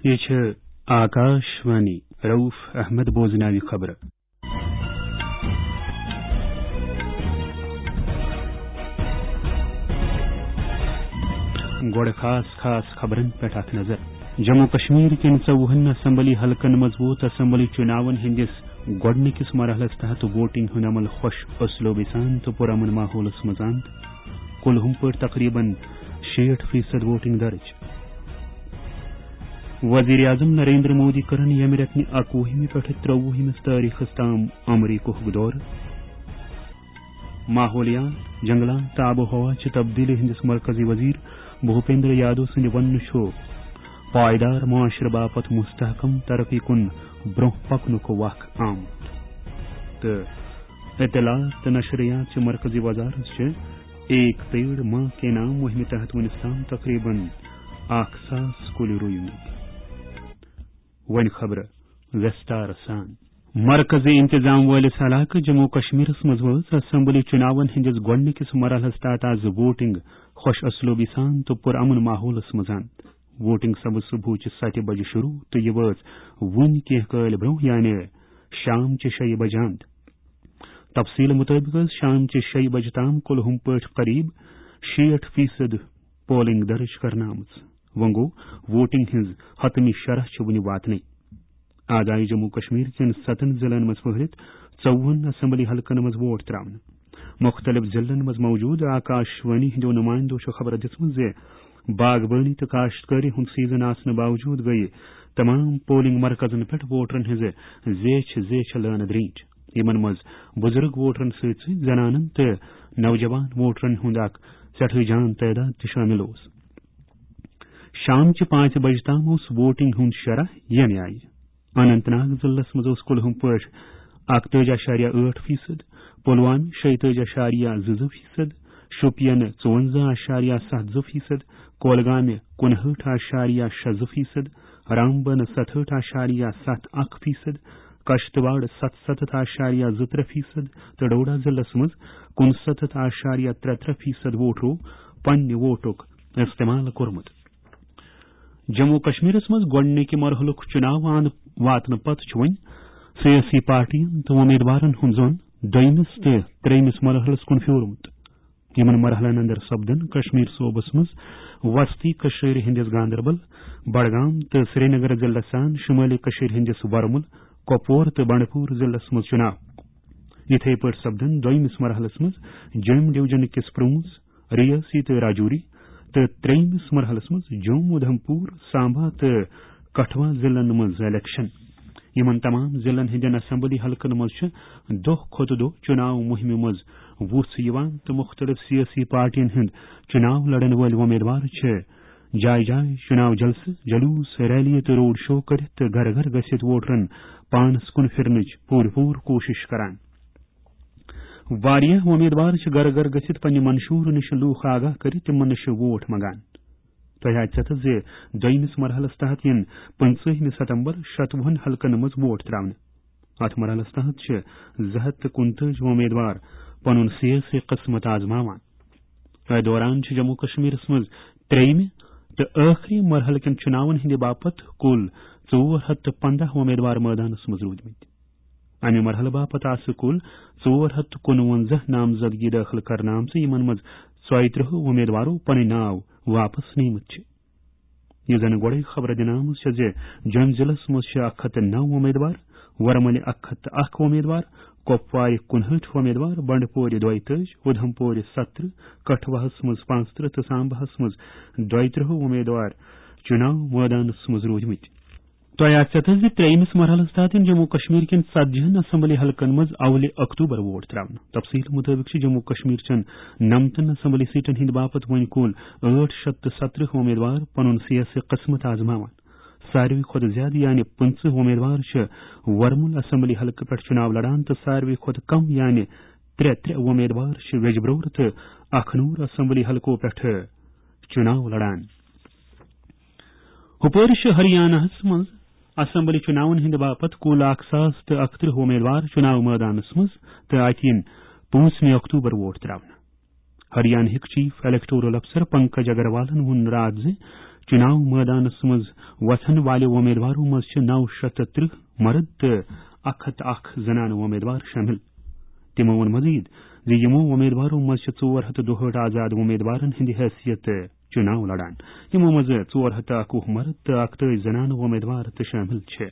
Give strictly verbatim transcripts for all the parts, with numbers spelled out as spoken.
یہ چھِ آکاش وانی۔ رؤف احمد بوزناوِ خبرٕ۔ گۄڈٕ خاص خاص خبرن پٮ۪ٹھ اکھ نظر۔ جموں کشمیر کٮ۪ن ژوٚوُہن اسمبلی حلقن منٛز ووت اسمبلی چُناون ہٕنٛدِس گۄڈٕنِکِس مرحلس تحت ووٹنگ ہُنٛد عمل خۄش اسلوبی سان تہٕ پُرامن ماحولس منٛز اند۔ کُلہُم پٲٹھۍ تقریباً شیٹھ فیصد ووٹنگ درج۔ وزیر اعظم نریندر مودی کرن ییٚمہِ رٮ۪تہٕ اکوُہمہِ پٮ۪ٹھٕ ترٛوُہمِس تٲریخس تام امریکہُک دورٕ۔ ماحولیات، جنگلات تہٕ آب و ہوا چہِ تبدیلی ہٕنٛدِس مرکزی وزیر بھوپیندر یادو سٕنٛدِ وننہٕ چھُ پائیدار معاشرٕ باپتھ مستحکم ترقی کُن برونٛہہ پکنُک وق آمُت۔ تہٕ اطلاعات تہٕ نشریات چہِ مرکزی وزارت چھِ ایک پیڑ ماں کے نام مہمہِ تحت وُنیُس تام تقریباً اکھ ساس کُلۍ رُومٕتۍ۔ وۄنۍ خبرٕ وستار سان۔ مرکزی انتظام وٲلِس علاقہٕ جموں کشمیرس منٛز وٲژ اسمبلی چُناون ہٕنٛدِس گۄڈٕنِکِس مرحلس تحت از ووٹنگ خۄش اسلوبی سان تہٕ پُرامن ماحولس منٛز اند۔ ووٹنگ سپٕز صبحٕچہِ ستہِ بجہِ شروع تہٕ یہِ وٲژ وُنہِ کینٛہہ کٲلۍ برونٛہہ، یعنی شام چہِ شیٚیہِ بجہِ اند۔ تفصیل مطٲبق ٲس شام چہِ شیٚیہِ بجہِ تام کُلہُم پٲٹھۍ قریب شیٹھ فیصد پولنگ درج کرنہٕ آمٕژ۔ وۄنۍ گوٚو، ووٹنگ ہٕنٛز حتمی شرح چھِ وُنہِ واتنٕے۔ از آیہِ جموں کشمیر کٮ۪ن ستن ضلعن منٛز پھٔہلِتھ ژوٚوُہن اسمبلی حلقن منٛز ووٹ تراونہٕ۔ مُختٔلِف ضلعن منٛز موجود آکاش وانی ہٕنٛدیو نُمایندو چھُ خبر دِژمٕژ زِ باغبٲنی تہٕ کاشتکٲری ہُنٛد سیزن آسنہٕ باوجود گٔیہِ تمام پولنگ مرکزن پٮ۪ٹھ ووٹرن ہٕنٛزٕ زیچھِ زیچھِ لٲنہٕ درینج۔ یِمن منٛز بُزرگ ووٹرن سۭتۍ سۭتۍ زنانن تہٕ نوجوان ووٹرن ہُنٛد اکھ سٮ۪ٹھاہ جان تعداد تہِ شٲمِل اوس۔ شام چہِ پانٛژِ بجہِ تام اوس ووٹنگ ہُنٛد شرح ییٚمہِ آیہِ۔ اننت ناگ ضلعس منٛز اوس کُلہُم پٲٹھۍ اکتٲجی اعشاریہ ٲٹھ فیصد، پلوامہ شیٚتٲجی اعشاریہ زٕ زٕ فیصد، شوپین ژُوَنزاہ اعشاریہ ستھ زٕ فیصد، کولگامہ کُنہٲٹھ اعشاریہ شےٚ زٕ فیصد، رامبن ستہٲٹھ اعشاریہ ستھ اکھ فیصد، کشتواڑ ستستھ اعشاریہ زٕ ترٛےٚ فیصد تہٕ ڈوڈا ضلعس منٛز کُنستتھ اعشاریہ ترٛےٚ ترٛےٚ فیصد ووٹرو پننہِ ووٹُک استعمال کوٚرمُت۔ جموں کشمیرس منٛز گۄڈٕنِکہِ مرحلُک چُناو اند واتنہٕ پتہٕ چھُ وۄنۍ سیٲسی پارٹین تہٕ وۄمیدوارن ہُنٛد زون دوٚیمِس تہٕ ترٛیٚیمِس مرحلس کُن پھیوٗرمُت۔ یِمن مرحلن اندر سپدن کشمیر صوبس منٛز وسطی کشمیر ہٕنٛدِس گاندربل، بڈگام تہٕ سرینگر ضلعس سان شمٲلی کشمیر ہٕنٛدِس ورمُل، کۄپور تہٕ بنڈپور ضلعس منٛز چُناو۔ یِتھے پٲٹھۍ سپدن دوٚیمِس مرحلس منٛز جوٚم ڈویژن کِس پرونز، ریاسی تہٕ راجوری تہٕ ترٛیٚیمِس مرحلس منٛز جوٚم، اُدھمپور، سامبا تہٕ کٹھوا ضلعن منٛز الیکشن۔ یِمن تمام ضلعن ہٕنٛدٮ۪ن اسمبلی حلقن منٛز چھِ دۄہ کھۄتہٕ دۄہ چُناو مُہِمہِ منٛز وُژھ یِوان تہٕ مُختٔلِف سیٲسی پارٹین ہٕنٛدۍ چُناو لڑن وٲلۍ وۄمیدوار چھِ جایہِ جایہِ چُناو جلسہٕ، جلوس، ریلی تہٕ روڈ شو کٔرِتھ تہٕ گرٕ گرٕ گٔژھِتھ ووٹرن پانس کُن پھِرنٕچ پوٗرٕ پوٗرٕ کوٗشِش کران۔ واریاہ وۄمیدوار چھِ گرٕ گرٕ گٔژھِتھ پننہِ منشورٕ نِش لوٗکھ آگاہ کٔرِتھ تِمن نِش ووٹ منگان۔ تۄہہِ آسہِ پتہ زِ دوٚیمِس مرحلس تحت یِن پٕنٛژٕہمہِ ستمبر شتوُہن حلقن منٛز ووٹ تراونہٕ۔ اتھ مرحلس تحت چھِ زٕ ہتھ تہٕ کُنتٲجی وۄمیدوار پنُن سیٲسی قسمت آزماوان۔ اتھ دوران چھِ جموں کشمیرس منٛز ترٛیٚیمہِ تہٕ ٲخری مرحلہٕ کٮ۪ن چُناون ہٕنٛدِ باپتھ کُل ژور ہتھ تہٕ پنٛداہ وۄمیدوار مٲدانس منٛز روٗدمٕتۍ۔ امہِ مرحلہٕ باپتھ آسہٕ کُل ژور ہتھ تہٕ کُنونزہ نامزدگی دٲخل کرنہٕ آمژٕ، یِمن منٛز ژۄیہِ ترٕٛہ وۄمیدوارو پنٕنۍ ناو واپس نِمٕتۍ چھِ۔ یہِ زن گۄڈے خبر دِنہٕ آمٕژ چھےٚ زِ جوٚم ضلعس منٛز چھِ اکھ ہتھ تہٕ نو وۄمیدوار، ورمُلہِ اکھ ہتھ تہٕ اکھ وۄمیدوار، کۄپوارِ کُنہٲٹھ وۄمیدوار، بنڈپورِ دۄیہِ تٲجۍ، اُدھمپورِ ستترٕہ، کٹھوہس منٛز پانٛژترٕٛہ تہٕ سامباہس منٛز دۄیہِ ترٕٛہ وۄمیدوار چُناو مٲدانس منٛز روٗدمٕتۍ۔ تۄہہِ آسہِ پتہ زِ ترٛیٚیمِس مرحلس تحت یِن جموں کشمیر کٮ۪ن ژتجی ہن اسمبلی حلقن منٛز اولہِ اکتوبر ووٹ تراونہٕ۔ تفصیل مطٲبق چھِ جموں کشمیر چٮ۪ن نمتن اسمبلی سیٹن ہٕنٛدِ باپتھ وۄنۍ کُل ٲٹھ شتھ تہٕ ستترٕہ وۄمیدوار پنُن سیٲسی قسمت آزماوان۔ ساروی کھۄتہٕ زیادٕ یعنی پٕنٛژٕہ وۄمیدوار چھِ ورمُل اسمبلی حلقہٕ پٮ۪ٹھ چُناو لڑان تہٕ ساروی کھۄتہٕ کم یعنی ترٛےٚ ترٛےٚ وۄمیدوار چھِ ویجبرور تہٕ اکھنوٗر اسمبلی حلقو پٮ۪ٹھٕ چُناو لڑان۔ ہُپٲرۍ چھِ ہریاناہس منٛز اسمبلی چُناون ہٕنٛدِ باپتھ کُل اکھ ساس تہٕ اکترٕہ وۄمیدوار چُناو مٲدانس منٛز تہٕ اتہِ یِن پانٛژمہِ اکتوبر ووٹ تراونہٕ۔ ہریانہٕکۍ چیف الیکٹورل افسر پنکج اگروالن ووٚن راتھ زِ چُناو مٲدانَس منٛز وۄتھَن والٮ۪و امیدوارو منٛز چھِ نَو شیٚتھ تہٕ ترٛہ مرد تہٕ اَکھ ہَتھ تہٕ اَکھ زنانہٕ امیدوار شٲمِل۔ تِمو ووٚن مزید زِ یِمو امیدوارو منٛز چھِ ژور ہَتھ تہٕ دُہٲٹھ آزاد امیدوارن ہٕنٛدِ حیثیت چُناو لڑان، یِمو منٛز ژور ہَتھ تہٕ اَکوُہ مرد تہٕ اَکتٲجی زنانہٕ امیدوار تہِ شٲمِل چھِ۔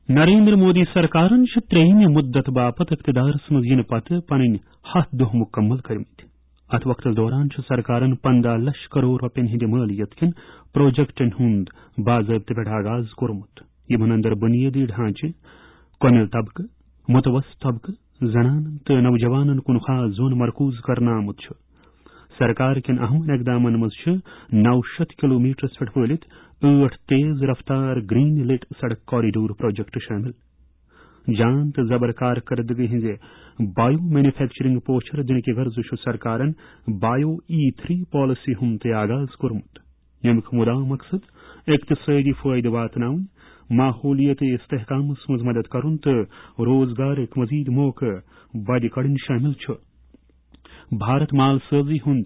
نریندر مودی سرکارن چھِ ترٛیٚیِمہِ مُدت باپتھ اقتدارس منٛز یِنہٕ پتہٕ پنٕنۍ ہَتھ دۄہ مُکمل کٔرمٕتۍ۔ اتھ وقتس دوران چھُ سرکارن پنٛداہ لچھ کرور رۄپین ہٕنٛدِ مٲلیت کِنۍ پروجیکٹن ہُنٛد باضٲبطہٕ پٮ۪ٹھ آغاز کوٚرمُت، یِمن اندر بنیٲدی ڈھانچہٕ، کۄمہِ طبقہٕ، متوسط طبقہٕ، زنانن تہٕ نوجوانن کُن خاص زون مرکوز کرنہٕ آمُت چھُ۔ سرکار کٮ۪ن اہم اقدامن منٛز چھِ نَو شیٚتھ کلومیٹرس پٮ۪ٹھ پھٔہلِتھ ٲٹھ تیز رفتار گرین لٹ سڑک کوریڈور پروجیکٹ شٲمِل۔ جان تہٕ زبر کارکردگی ہٕنٛزِ بایو مینوفیکچرنگ پوچھر دِنہٕ کہِ غرضہٕ چھُ سرکارن بایو ای تھری پالیسی ہُنٛد تہِ آغاز کوٚرمُت، ییٚمیُک مُدعا مقصد اقتصٲدی فٲیدٕ واتناوُن، ماحولیٲتی استحکامس منٛز مدد کرُن تہٕ روزگارٕک مزید موقعہٕ بدِ کڑٕنۍ شٲمِل چھُ۔ بھارت مال سٲزی ہُنٛد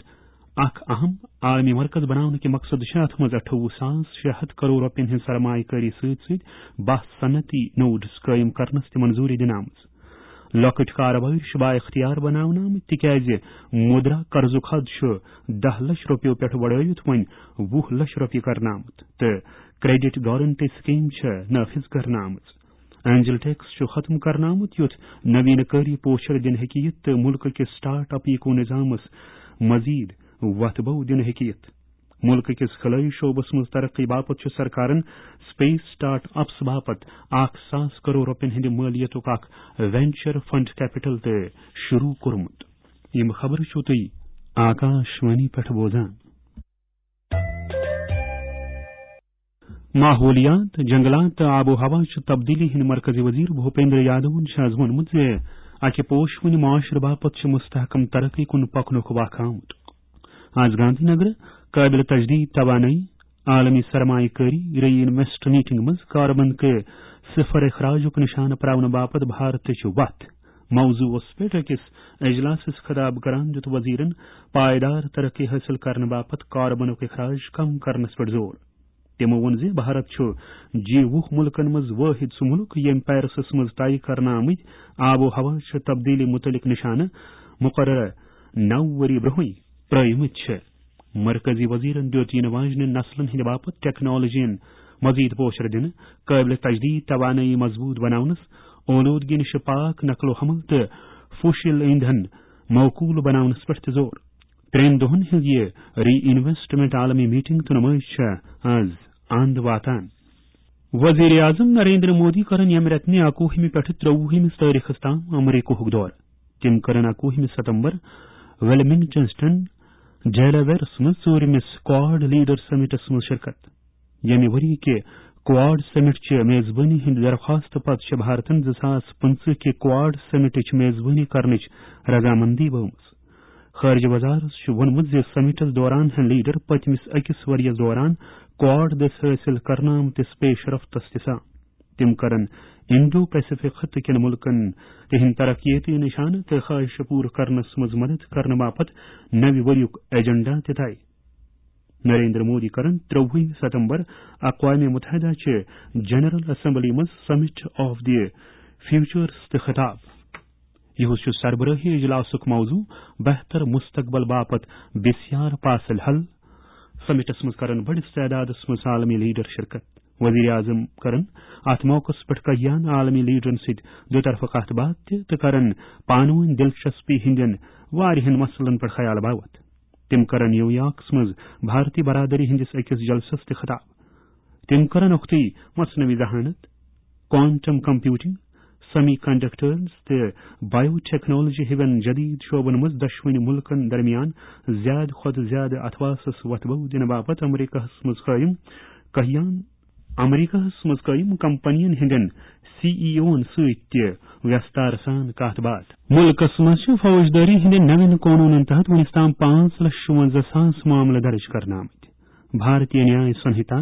اکھ اہم عالمی مرکز بناونہٕ کہِ مقصد چھِ اتھ منٛز اَٹھووُہ ساس شےٚ ہَتھ کرور رۄپین ہٕنٛز سرمایہ کٲری سۭتۍ سۭتۍ باہ صنعتی نوڈز قٲیِم کرنس تہِ منظوٗری دِنہٕ آمٕژ۔ لۄکٕٹۍ کاربٲرۍ چھِ با اختیار بناونہٕ آمٕتۍ، تِکیازِ مُدرا قرضُک حد چھُ دَہ لچھ رۄپیو پٮ۪ٹھ بڑٲوِتھ وۄنۍ وُہ لچھ رۄپیہِ کرنہٕ آمُت تہٕ کریڈٹ گارنٹی سکیم چھِ نافذ کرنہٕ آمٕژ۔ اینجل ٹیکس چھُ ختم کرنہٕ آمُت، یُتھ نوینہٕ کٲری پوچھر دِنہٕ ہیٚکہِ یِتھ تہٕ مُلکہٕ کِس سٹارٹ اپ ایکو نظامس مزید وتھ بو دِنہٕ ہیٚکہِ یِتھ۔ مُلکہٕ کِس خلٲیی شعبس منٛز ترقی باپتھ چھُ سرکارن سپیس سٹارٹ اپس باپتھ اکھ ساس کرور رۄپین ہٕنٛدِ مٲلیتُک اکھ وینچر فنڈ کیپٹل تہِ شروع کوٚرمُت۔ یِم خبرٕ چھِو تُہۍ آکاش وانی پٮ۪ٹھ بوزان۔ ماحولیات، جنگلات تہٕ آب و ہوا چہِ تبدیلی ہٕنٛدۍ مرکزی وزیر بھوپیندر یادوَن چھُ آز ووٚنمُت زِ اکہِ پوشہٕ وٕنہِ معاشرٕ باپتھ چھِ مستحکم ترقی کُن پکنُک وق آمُت۔ آز گاندھی نگر قابل تجدید توانٲیی عالمی سرمایہ کٲری ری انویسٹ میٹنگ منٛز کاربن کہِ صفر اخراجُک نشانہٕ پراونہٕ باپتھ بھارتٕچ وتھ موضوعس پٮ۪ٹھ أکِس اجلاسس خطاب کران دیُت وزیرن پائیدار ترقی حٲصِل کرنہٕ باپتھ کاربنُک اخراج کم کرنس پٮ۪ٹھ زور۔ تِمو ووٚن زِ بھارت چھُ جی وُہ مُلکن منٛز وٲحد سُہ مُلک ییٚمۍ پیرسس منٛز طے کرنہٕ آمٕتۍ آب و ہوا چہِ تبدیلی مُتعلق نشانہٕ مقررہ نَو ؤری برٛونٛہٕے پرٲومٕتۍ چھِ۔ مرکزی وزیرن دِیُت یِنہٕ واجنہِ نسلن ہٕنٛدِ باپتھ ٹیکنالوجین مزید پوچھر دِنہٕ، قٲبلِ تجدید توانٲیی مضبوط بناونس، اولودگی نِش پاک نقل و حمل تہٕ فوسل ایندھن موقوٗل بناونس پٮ۪ٹھ تہِ زور۔ ترٛٮ۪ن دۄہن ہٕنٛز یہِ ری انویسٹمنٹ عالمی میٹنگ تہٕ نمٲیش چھےٚ آز اند واتان۔ وزیر اعظم نریندر مودی کرن ییٚمہِ رٮ۪تہٕ اکوُہمہِ پٮ۪ٹھٕ ترٛوُہمِس تٲریخس تام امریکہُک دورٕ۔ تِم کرن اکوُہمہِ ستمبر ویلمنگٹن، ڈیلاویئرس منٛز ژوٗرمِس کواڈ لیڈر سمٹس منٛز شرکت۔ ییٚمہِ ؤری کہِ کواڈ سمٹ چہِ میزبٲنی ہٕنٛدِ درخواست پتہٕ چھِ بھارتن زٕ ساس پٕنٛژٕہ کہِ کواڈ سمٹٕچ میزبٲنی کرنٕچ رضامندی ؤومٕژ۔ خارجہ وزارت چھُ ووٚنمُت زِ سمٹس دوران ہٮ۪ن لیڈر پٔتمِس أکِس ؤرۍ یَس دوران کواڈ دٔسۍ حٲصِل کرنہٕ آمتِس پیش رفتس تہِ سان۔ تِم کرن انڈو پیسفک خطہٕ کٮ۪ن مُلکن تِہنٛدۍ ترقیتی نشانہٕ تہٕ خواہشہٕ پوٗرٕ کرنس منٛز مدد کرنہٕ باپتھ نوِ ؤریُک ایجنڈا تہِ طے۔ نریندر مودی کرن ترٛوُہمہِ ستمبر اقوام متحدہ چہِ جنرل اسمبلی منٛز سمٹ آف دی فیوچرس تہِ خطاب۔ یِہُس چھُ سربرٲہی اجلاسُک موضوع بہتر مستقبل باپتھ بسیار پاسل حل۔ سمٹس منٛز کرن بٔڑِس تعدادس منٛز عالمی لیڈر شرکت۔ وزیر اعظم کرن اتھ موقعس پٮ۪ٹھ کٔہیاہن عالمی لیڈرن سۭتۍ دو طرفہٕ کتھ باتھ تہِ تہٕ کرن پانہٕ وٲنۍ دلچسپی ہٕنٛدٮ۪ن واریاہن مسلن پٮ۪ٹھ خیال باوتھ۔ تِم کرن نیویارکس منٛز بھارتی برادری ہٕنٛدِس أکِس جلسس تہِ خطاب۔ تِم کرن اُکتُے مصنوعی ذہانت، کوانٹم کمپیوٹنگ، سیمی کنڈکٹرز تہٕ بایو ٹیکنالوجی ہِوٮ۪ن جدید شعبن منٛز دۄشوٕنی مُلکن درمیان زیادٕ کھۄتہٕ زیادٕ اتھواسس وۄتھٕ بو دِنہٕ باپتھ امریکہس منٛز قٲیِم کہیان، امریکہس منٛز قٲیِم کمپنین ہٕنٛدٮ۪ن سی ای اوون سۭتۍ تہِ ویستار سان کتھ باتھ۔ مُلکس منٛز چھِ فوجدٲری ہٕنٛدٮ۪ن نوٮ۪ن قونوٗنن تحت وُنیُس تام پانٛژھ لچھ شُونٛزاہ ساس معاملہٕ درٕج کرنہٕ آمٕتۍ۔ بھارتیہ نیاے سنہتا،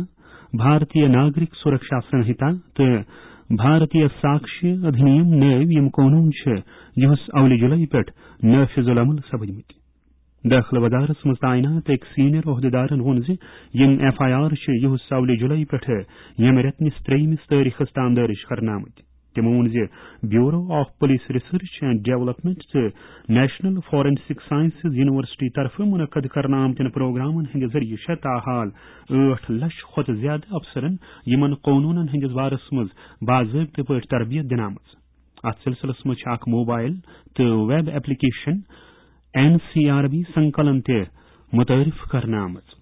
بھارتیہ ناگرک سرکشا سنہتا تہٕ بھارتیہ ساکشیہ ادھینیم نٲوۍ یِم قونوٗن چھِ، یِہُس اولہِ جُلای پٮ۪ٹھ نافذ العمل سپدمٕتۍ۔ دٲخلہٕ وزارتس منٛز تعینات أکۍ سینئر عہدیدارن ووٚن زِ یِم ایف آئی آر چھِ یِہُس اولہِ جُلای پٮ۪ٹھٕ ییٚمہِ رٮ۪تہٕ نِس ترٛیٚیمِس تٲریخس تام دٲرِج کرنہٕ آمٕتۍ۔ تِمو ووٚن زِ Bureau of Police Research and Development تہٕ National Forensic Sciences University طرفہٕ منعقد کرنہٕ آمتٮ۪ن پروگرامن ہٕنٛدِ ذٔریعہٕ چھےٚ تاحال ٲٹھ لچھ کھۄتہٕ زیادٕ افسرن یِمن قونوٗنن ہٕنٛدِس بارس منٛز باضٲبطہٕ پٲٹھۍ تربیت دِنہٕ آمٕژ۔ اتھ سلسلس منٛز چھِ اکھ موبائل تہٕ web application N C R B سنکلن تہِ متعارف کرنہٕ آمٕژ۔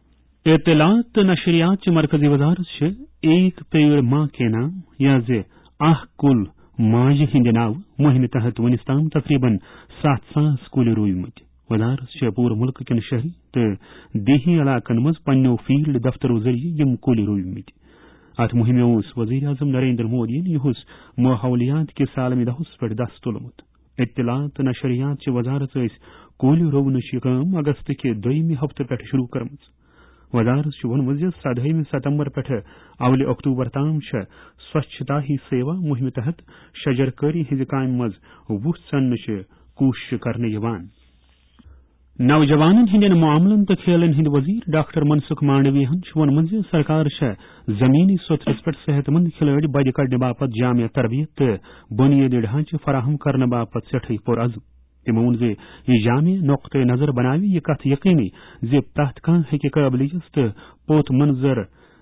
اطلاعات تہٕ نشریات چہِ مرکزی وزارت چھِ ایک پیڑ ماں کے نام یا زِ اکھ کُل ماجہِ ہٕنٛدِ ناوٕ مُہِمہِ تحت وُنِس تام تقریباً ستھ ساس کُلۍ روٗومٕتۍ۔ وزارت چھےٚ پوٗرٕ مُلکہٕ کٮ۪ن شہری تہٕ دیہی علاقن منٛز پننیو فیلڈ دفترو ذٔریعہٕ یِم کُلۍ روٗومٕتۍ۔ اتھ مُہِمہِ اوس وزیر اعظم نریندر مودیَن یِہُس ماحولیات کِس عالمی دۄہس پٮ۪ٹھ دَس تُلمُت۔ اطلاعات تہٕ نشریات چہِ وزارت ٲسۍ کُلۍ روونٕچ یہِ کٲم اگست کہِ دوٚیمہِ ہفتہٕ پٮ۪ٹھ شروع کٔرمٕژ۔ وزارت چھُ ووٚنمُت زِ سدہٲیمہِ ستمبر پٮ۪ٹھٕ اولہِ اکتوبر تام چھےٚ سوچھتا ہی سیوا مُہِمہِ تحت شجر کٲری ہٕنٛزِ کامہِ منٛز وُژھ ژَننٕچہِ کوٗشش کرنہٕ یِوان۔ نوجوانن ہٕنٛدٮ۪ن معاملن تہٕ کھیلن ہٕنٛدۍ وزیر ڈاکٹر منسکھ مانڈویہن چھُ ووٚنمُت زِ سرکار چھےٚ زمینی سطحس پٮ۪ٹھ صحت مند کھلٲڑۍ بدِ کڑنہٕ باپتھ جامع تربیت تہٕ بنیٲدی ڈھانچہٕ فراہم کرنہٕ باپتھ سٮ۪ٹھٕے پُرعزم۔ تِمو ووٚن زِ یہِ جامع نقطہٕ نظر بناوِ یہِ کتھ یقینی زِ پرٛٮ۪تھ کانٛہہ ہیٚکہِ قٲبلیت تہٕ پوت منظر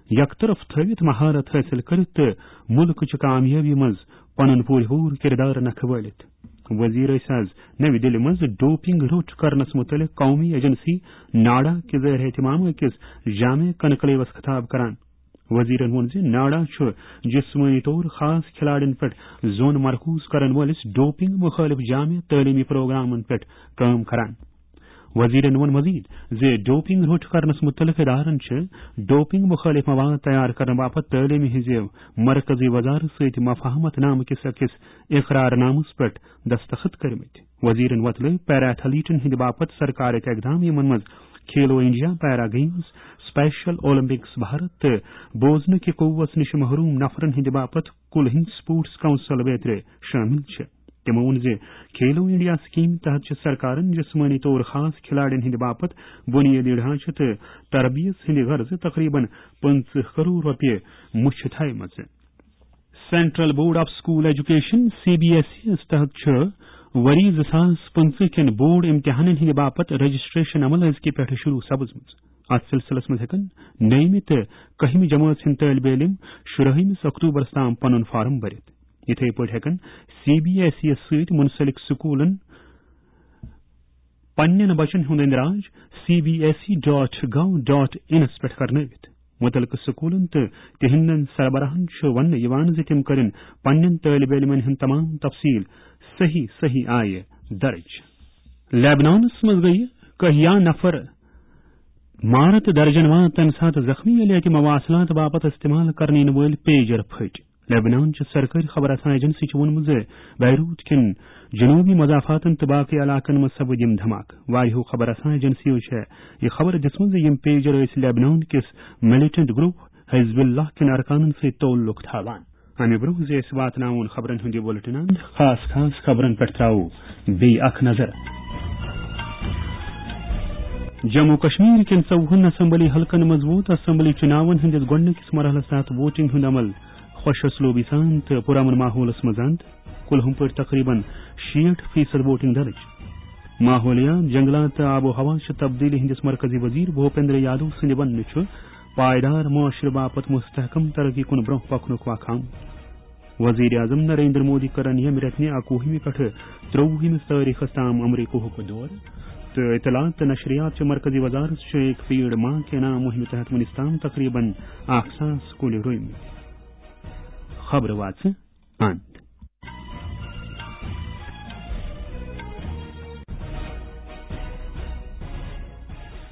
یکطرف تھٲوِتھ مہارت حٲصِل کٔرِتھ تہٕ مُلکٕچہِ کامیٲبی منٛز پنُن پوٗرٕ پوٗرٕ کِردار نکھٕ وٲلِتھ۔ وزیر ٲسۍ از نَوِ دِلہِ منٛز ڈوپنگ روٚٹ کرنس مُتعلق قومی ایجنسی ناڈا کہِ زیر اہتمام أکِس جامع کنکلیوس خطاب کران۔ وزیرن ووٚن زِ ناڈا چھُ جسمٲنی طور خاص کھلاڑین پٮ۪ٹھ زون مرکوز کرن وٲلِس ڈوپنگ مُخٲلِف جامع تعلیمی پروگرامن پٮ۪ٹھ کٲم کران۔ وزیرن ووٚن مزید زِ ڈوپنگ روٚٹ کرنس مُتعلق ادارن چھِ ڈوپنگ مُخٲلِف مواد تیار کرنہٕ باپتھ تعلیمہِ ہٕنٛزِ مرکزی وزارت سۭتۍ مفاہمت نامہٕ کِس أکِس اقرار نامس پٮ۪ٹھ دستخط کٔرمٕتۍ۔ وزیرن وۄتلٲوۍ پیرا ایتھلیٹن ہٕنٛدِ باپتھ سرکارٕکۍ اقدام، یِمن منٛز کھیلو انڈیا، پیرا گیمز، اسپیشل اولمپکس بھارت تہٕ بوزنہٕ کہِ قوت نِش محروم نفرن ہٕنٛدِ باپتھ کُل ہند سپورٹس کونسل بیترِ شٲمِل چھِ۔ تِمو ووٚن زِ کھیلو انڈیا سکیمہِ تحت چھِ سرکارن جسمٲنی طور خاص کھلاڑین ہٕنٛدِ باپتھ بنیٲدی ڈھانچہٕ تہٕ تربیت ہٕنٛدِ غرضہٕ تقریباً پٕنٛژٕہ کرور رۄپیہِ مُچھِ تھایمژٕ۔ Central board of school education, C B S E یَس تحت چھُ ؤری زٕ ساس پٕنٛژٕہ کٮ۪ن بورڈ امتحانن ہٕنٛدِ باپتھ رجسٹریشن عمل أزکہِ پٮ۪ٹھٕ شروع سپٕزمٕژ۔ اتھ سلسلس منٛز ہٮ۪کن نٔیمہِ تہٕ کٔہمہِ جمٲژ ہٕنٛدۍ طٲلبہِ علم شُرٲہمِس اکتوبرس تام پنُن فارم بٔرِتھ۔ یِتھے پٲٹھۍ ہٮ۪کن سی بی ایس ای یَس سۭتۍ منسلک سکولن پننٮ۪ن بچن ہُنٛد اندراج C B S E dot gov dot انس پٮ۪ٹھ کرنٲوِتھ۔ مُتعلقہٕ سکولن تہٕ تِہنٛدٮ۪ن سربراہن چھُ وننہٕ یِوان زِ تِم کرن پننٮ۪ن طٲلبہِ علمن ہُنٛد تمام تفصیل صحیح صحیح آیہِ درج۔ لیبنانس منٛز گٔیہِ کہیا نفر مارٕ تہٕ درجن واد تمہِ ساتہٕ زخمی، ییٚلہِ اتہِ مواصلات باپتھ استعمال کرنہٕ یِنہٕ وٲلۍ پیجر پھٔٹۍ۔ لیبنان چہِ سرکٲرۍ خبر رساں ایجنسی چھِ ووٚنمُت زِ بیروت کٮ۪ن جنوبی مضافاتن تہٕ باقٕے علاقن منٛز سپٕدۍ یِم دھماکہٕ۔ واریاہو خبر رساں ایجنسیو چھےٚ یہِ خبر دِژمٕژ زِ یِم پیجر ٲسۍ لیبنان کِس ملیٹنٹ گروپ حزب اللہ کٮ۪ن ارکانن سۭتۍ تعلق تھاوان۔ امہِ برونٛہہ زِ أسۍ واتناوون خبرن ہُنٛد یہِ بلٹن اند، خاص خاص خبرن پٮ۪ٹھ تراوو بیٚیہِ اکھ نظر۔ جموں کشمیر کٮ۪ن ژوٚوُہن اسمبلی حلقن منٛز ووت اسمبلی چُناون ہٕنٛدِس گۄڈٕنِکِس مرحلس تحت ووٹنگ ہُنٛد عمل خۄش اسلوبی سان تہٕ پُرامن ماحولس منٛز اند۔ کُلہُم پٲٹھۍ تقریباً شیٹھ فیصد ووٹنگ درٕج۔ ماحولیات، جنگلات تہٕ آب و ہوا چہِ تبدیلی ہٕنٛدِس مرکزی وزیر بھوپیندر یادو سٕنٛدِ وننہٕ چھُ پائیدار معاشرٕ باپتھ مستحکم ترقی کُن برونٛہہ پکنُک وق آمُت۔ وزیر اعظم نریندر مودی کٔرن ییٚمہِ رٮ۪تہٕ نہِ اکوُہمہِ پٮ۪ٹھٕ ترٛۆوُہمِس تٲریخس تام امریکہُک دورٕ تہٕ اطلاعات تہٕ نشریات چہِ مرکزی وزارت چھُ ایک پیڑ ماں کے نام مُہِمہِ تحت وُنِس تام تقریباً اکھ ساس کُلۍ رُوۍمٕتۍ۔ خبرٕ واژٕ اند۔